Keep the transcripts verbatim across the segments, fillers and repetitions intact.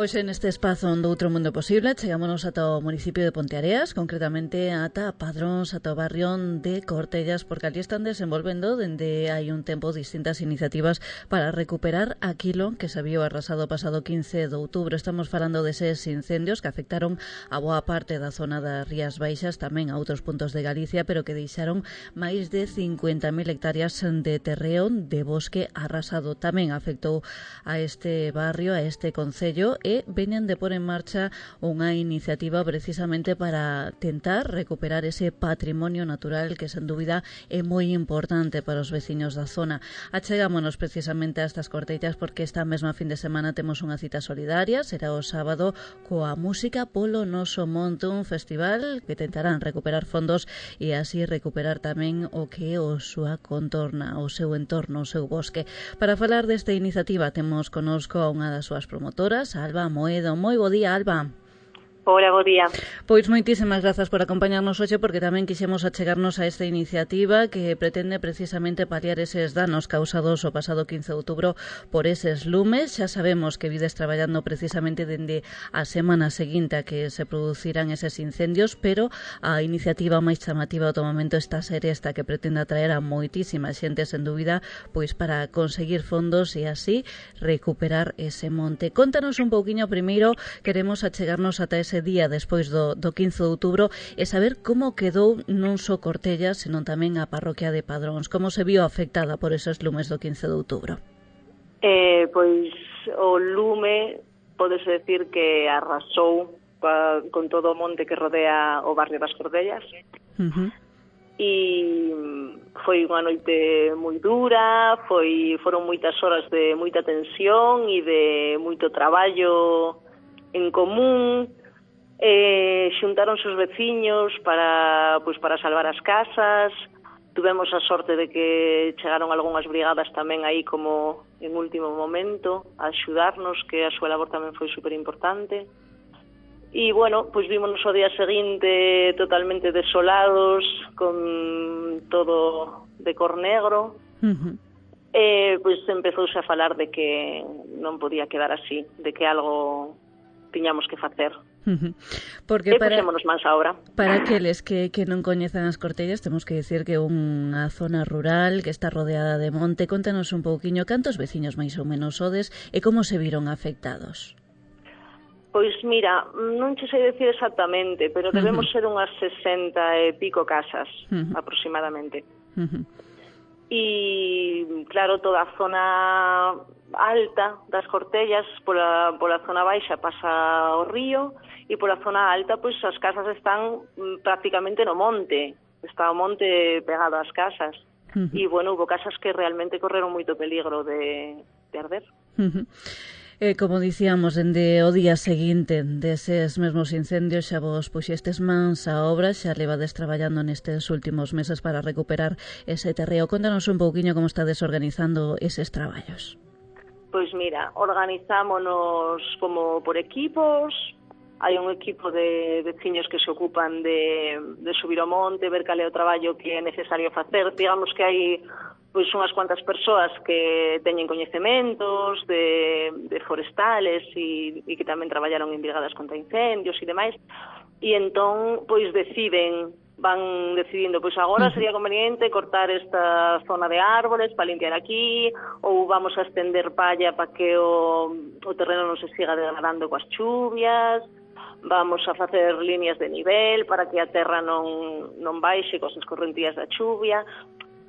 Hoxe neste espazo do Outro Mundo Posible chegámonos ata o municipio de Ponteareas, concretamente ata Padróns, ata o barrio de Cortellas, porque ali están desenvolvendo dende hai un tempo distintas iniciativas para recuperar aquilo que se viu arrasado o pasado quince de outubro. Estamos falando deses incendios que afectaron a boa parte da zona das Rías Baixas, tamén a outros puntos de Galicia, pero que deixaron máis de cincuenta mil hectáreas de terreo de bosque arrasado. Tamén afectou a este barrio, a este concello, e veñen de pôr en marcha unha iniciativa precisamente para tentar recuperar ese patrimonio natural que, sen dúbida, é moi importante para os veciños da zona. Achegámonos precisamente a estas Cortellas porque esta mesma fin de semana temos unha cita solidaria, será o sábado, coa música polo noso monte, un festival que tentarán recuperar fondos e así recuperar tamén o que é o súa contorna, o seu entorno, o seu bosque. Para falar desta iniciativa temos conosco a unha das súas promotoras, a Alba Moedo. Moi bo día, Alba. Hola, bo día. Pois moitísimas grazas por acompañarnos hoxe, porque tamén quixemos achegarnos a esta iniciativa que pretende precisamente paliar eses danos causados o pasado quince de outubro por eses lumes. Xa sabemos que vides traballando precisamente dende a semana seguinte a que se producirán eses incendios, pero a iniciativa máis chamativa do momento está a ser esta, que pretende atraer a moitísima xente, sen dúbida, pois para conseguir fondos e así recuperar ese monte. Contanos un pouquiño primeiro, queremos achegarnos ata ese ese día despois do, do quince de outubro e saber como quedou non só Cortellas, senón tamén a parroquia de Padróns, como se viu afectada por esos lumes do quince de outubro. Eh, pois o lume podese decir que arrasou pa, con todo o monte que rodea o barrio das Cortellas. Uh-huh. E foi unha noite moi dura, foi foron moitas horas de moita tensión e de moito traballo en común. Eh, xuntaronse os veciños para, pois, para salvar as casas. Tuvemos a sorte de que chegaron algunhas brigadas tamén aí como en último momento a axudarnos, que a súa labor tamén foi super importante. E, bueno, pois vímonos o día seguinte totalmente desolados, con todo de cor negro. Uh-huh. E, pois empezouse a falar de que non podía quedar así, de que algo tiñamos que facer. Porque e para, puxémonos máis a obra. Para aqueles que, que non coñezan as Cortellas, temos que dicir que é unha zona rural que está rodeada de monte. Contanos un pouquiño cantos veciños máis ou menos sodes e como se viron afectados. Pois mira, non che sei decir exactamente, pero debemos uh-huh. ser unhas sesenta e pico casas, uh-huh. aproximadamente. Uh-huh. E, claro, toda a zona alta das Cortellas, pola, pola zona baixa pasa o río, e pola zona alta, pois, as casas están prácticamente no monte. Está o monte pegado ás casas. Uh-huh. E, bueno, hubo casas que realmente correron moito peligro de, de arder. Uh-huh. Eh, como dicíamos, dende o día seguinte deses mesmos incendios xa vos puxestes mans a obra, xa levades traballando nestes últimos meses para recuperar ese terreo. Contanos un pouquiño como estades organizando eses traballos. Pois mira, organizámonos como por equipos. Hai un equipo de veciños que se ocupan de, de subir ao monte, ver cal é o traballo que é necesario facer. Digamos que hai pois unhas cuantas persoas que teñen coñecementos de, de forestales e, e que tamén traballaron en brigadas contra incendios e demais. E entón, pois deciden, van decidindo, pois agora sería conveniente cortar esta zona de árboles para limpiar aquí, ou vamos a estender palla para que o, o terreno non se siga degradando coas chuvias. Vamos a facer líneas de nivel para que a terra non, non baixe cos escorrentías da chuvia.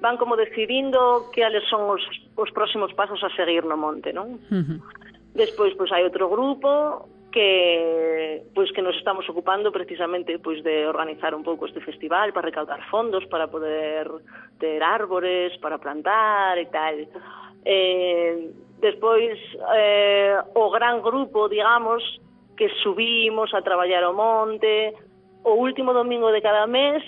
Van como decidindo cales son os, os próximos pasos a seguir no monte, non? Uh-huh. Despois, pois, hai outro grupo que pois que nos estamos ocupando precisamente pois de organizar un pouco este festival para recaudar fondos para poder ter árbores para plantar e tal. Eh, despois, eh, o gran grupo, digamos, que subimos a traballar ao monte o último domingo de cada mes,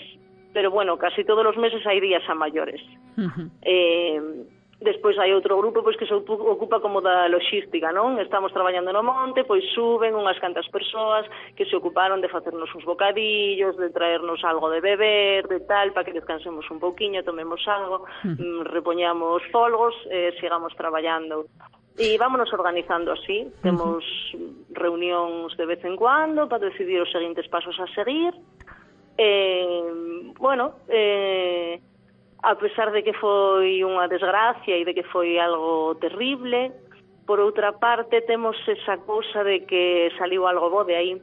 pero bueno, casi todos os meses hai días a maiores. Uh-huh. Eh, despois hai outro grupo pois que se ocupa como da logística, non? Estamos traballando no monte, pois suben unhas cantas persoas que se ocuparon de facernos uns bocadillos, de traernos algo de beber, de tal, para que descansemos un pouquiño, tomemos algo, uh-huh. repoñamos folgos e eh, sigamos traballando. E vámonos organizando así. Temos reunións de vez en cuando para decidir os seguintes pasos a seguir. Eh, bueno, eh, a pesar de que foi unha desgracia e de que foi algo terrible, por outra parte temos esa cousa de que saliu algo bo de aí,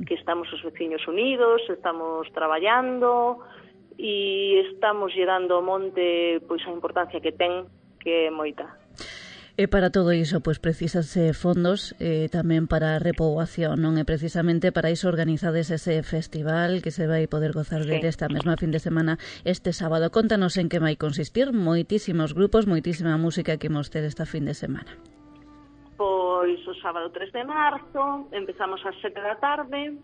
que estamos os veciños unidos, estamos traballando e estamos lle dando ao monte pois a importancia que ten, que é moita. E para todo iso, pois precisase fondos eh, tamén para a repoboación, non? E precisamente para iso organizades ese festival que se vai poder gozar sí. de esta mesma fin de semana este sábado. Contanos en que vai consistir, moitísimos grupos, moitísima música que imos ter esta fin de semana. Pois o sábado tres de marzo, empezamos ás sete da tarde,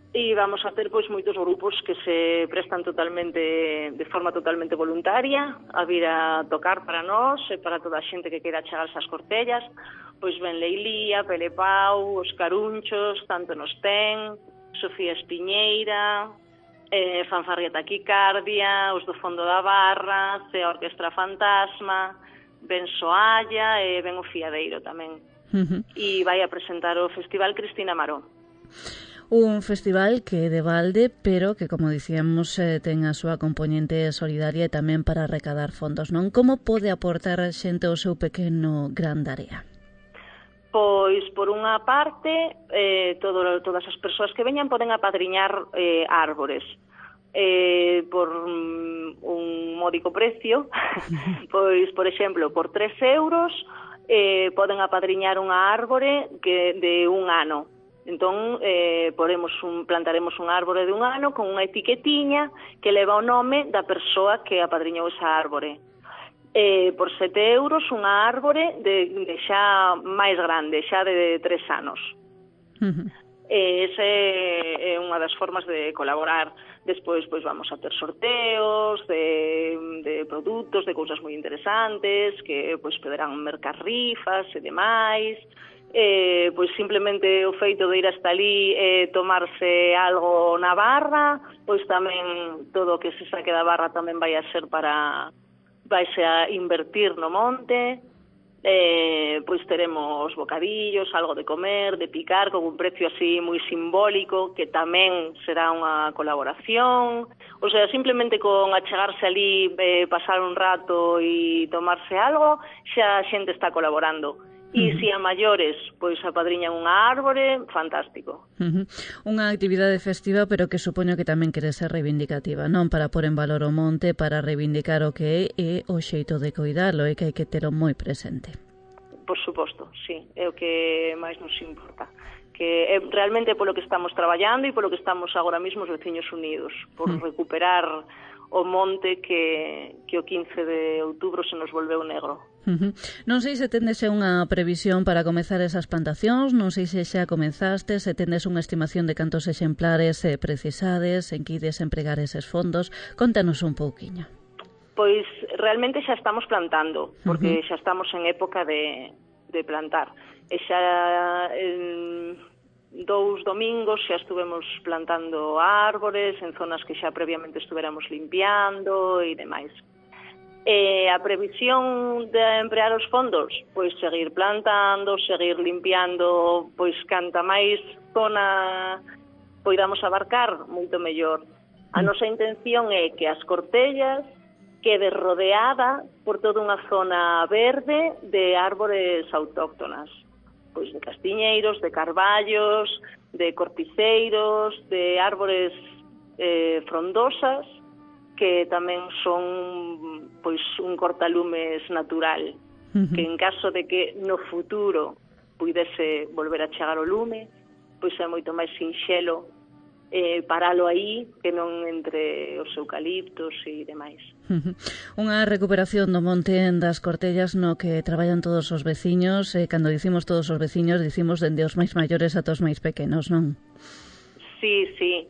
e vamos a ter pois moitos grupos que se prestan totalmente de forma totalmente voluntaria a vir a tocar para nós e para toda a xente que queira chegarse ás Cortellas. Pois ben Leilía, Pelepau, os Carunchos, Tanto nos ten, Sofía Espiñeira, eh, Fanfarria Taquicardia, os do Fondo da Barra, a Orquestra Fantasma, ben Soalla e ben o Fiadeiro tamén. Uh-huh. E vai a presentar o Festival Cristina Maró. Un festival que é de balde, pero que, como dicíamos, eh, ten a súa componente solidaria e tamén para recadar fondos, non? Como pode aportar a xente o seu pequeno gran área? Pois, por unha parte, eh, todo, todas as persoas que veñan poden apadriñar eh, árbores. Eh, por um, un módico precio, pois, por exemplo, por tres euros eh, poden apadriñar unha árbore que de un ano. Entón, eh, podemos un, plantaremos un árbore de un ano con unha etiquetiña que leva o nome da persoa que apadriñou esa árbore. Eh, por sete euros unha árbore de, de xa máis grande, xa de tres anos. Uh-huh. Eh, esa é unha das formas de colaborar. Despois, pois, vamos a ter sorteos de, de produtos, de cousas moi interesantes, que, pois, poderán mercar rifas e demais. Eh, pois simplemente o feito de ir hasta ali e eh, tomarse algo na barra, pois tamén todo o que se saque da barra tamén vai a ser para vaise a invertir no monte. Eh, pois teremos bocadillos, algo de comer, de picar, con un precio así moi simbólico, que tamén será unha colaboración. O sea, simplemente con achegarse ali, eh, pasar un rato e tomarse algo, xa a xente está colaborando. E se a maiores, pois apadriñan unha árbore, fantástico. Uh-huh. Unha actividade festiva, pero que supoño que tamén quere ser reivindicativa, non? Para pôr en valor o monte, para reivindicar o que é e o xeito de cuidarlo, e que hai que tero moi presente. Por suposto, sí, é o que máis nos importa. Que é realmente polo que estamos traballando e polo que estamos agora mesmo os veciños unidos, por uh-huh. recuperar o monte que, que o quince de outubro se nos volveu negro. Uh-huh. Non sei se tendes unha previsión para comezar esas plantacións, non sei se xa comenzastes, se tendes unha estimación de cantos exemplares eh, precisades, en que ides empregar eses fondos. Contanos un pouquiño. Pois realmente xa estamos plantando, porque uh-huh. xa estamos en época de, de plantar. E xa en dous domingos xa estuvemos plantando árbores en zonas que xa previamente estuveramos limpiando e demais. E a previsión de emplear os fondos, pois seguir plantando, seguir limpiando, pois canta máis zona poidamos abarcar, moito mellor. A nosa intención é que as Cortellas quede rodeada por toda unha zona verde de árbores autóctonas, pois de castiñeiros, de carballos, de corticeiros, de árbores eh, frondosas, que tamén son pois un cortalumes natural, uh-huh. que en caso de que no futuro puidese volver a chegar o lume, pois é moito máis sinxelo eh, paralo aí que non entre os eucaliptos e demais. Uh-huh. Unha recuperación do monte das Cortellas no que traballan todos os veciños, e eh, cando dicimos todos os veciños dicimos dende os máis maiores ata os máis pequenos, non? Sí, sí.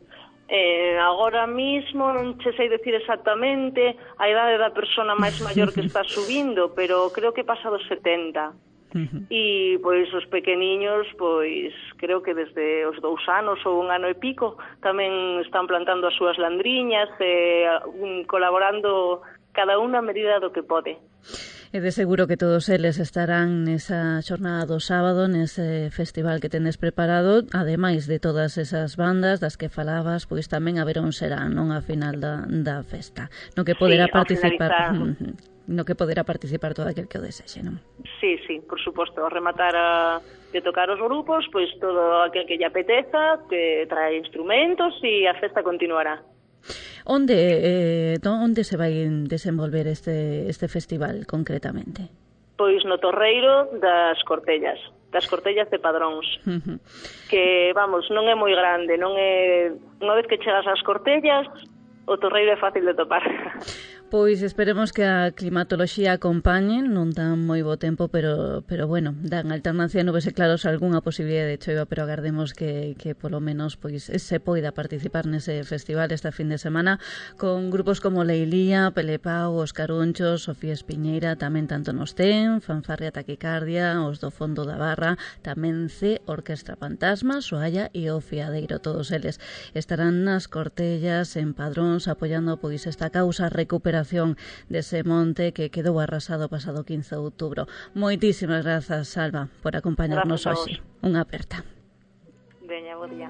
Eh, agora mismo non che sei decir exactamente a idade da persona máis maior que está subindo, pero creo que pasa dos setenta. Uh-huh. E pois os pequeniños, pois creo que desde os dous anos ou un ano e pico tamén están plantando as súas landriñas e um, colaborando cada unha a medida do que pode. E de seguro que todos eles estarán nesa xornada do sábado, nese festival que tendes preparado, ademais de todas esas bandas das que falabas, pois tamén haberá un serán, non, a final da, da festa, no que poderá sí, participar no que poderá participar todo aquel que o desexe, non? Sí, sí, por suposto, ao rematar a, de tocar os grupos, pois todo aquel que lle apeteza, que trae instrumentos e a festa continuará. Onde eh, onde se vai desenvolver este este festival concretamente? Pois no Torreiro das Cortellas, das Cortellas de Padróns. Uh-huh. Que, vamos, non é moi grande, non é... Unha vez que chegas ás Cortellas, o Torreiro é fácil de topar. Pois esperemos que a climatoloxía acompañe, non dan moi bo tempo, pero pero bueno, dan alternancia nubes e claros algunha posibilidade de choiva, pero agardemos que, que polo menos pois se poida participar nese festival esta fin de semana con grupos como Leilía, Pelepau, Os Carunchos, Sofía Espiñeira, tamén Tanto nos ten, Fanfarria Taquicardia, Os do Fondo da Barra, tamén C, Orquestra Fantasma, Soalla e O Fiadeiro, todos eles estarán nas Cortellas en Padróns apoiando pois esta causa recuperación dese monte que quedou arrasado pasado quince de outubro. Moitísimas grazas, Salva, por acompañarnos hoxe. Unha aperta. Veña, bo día.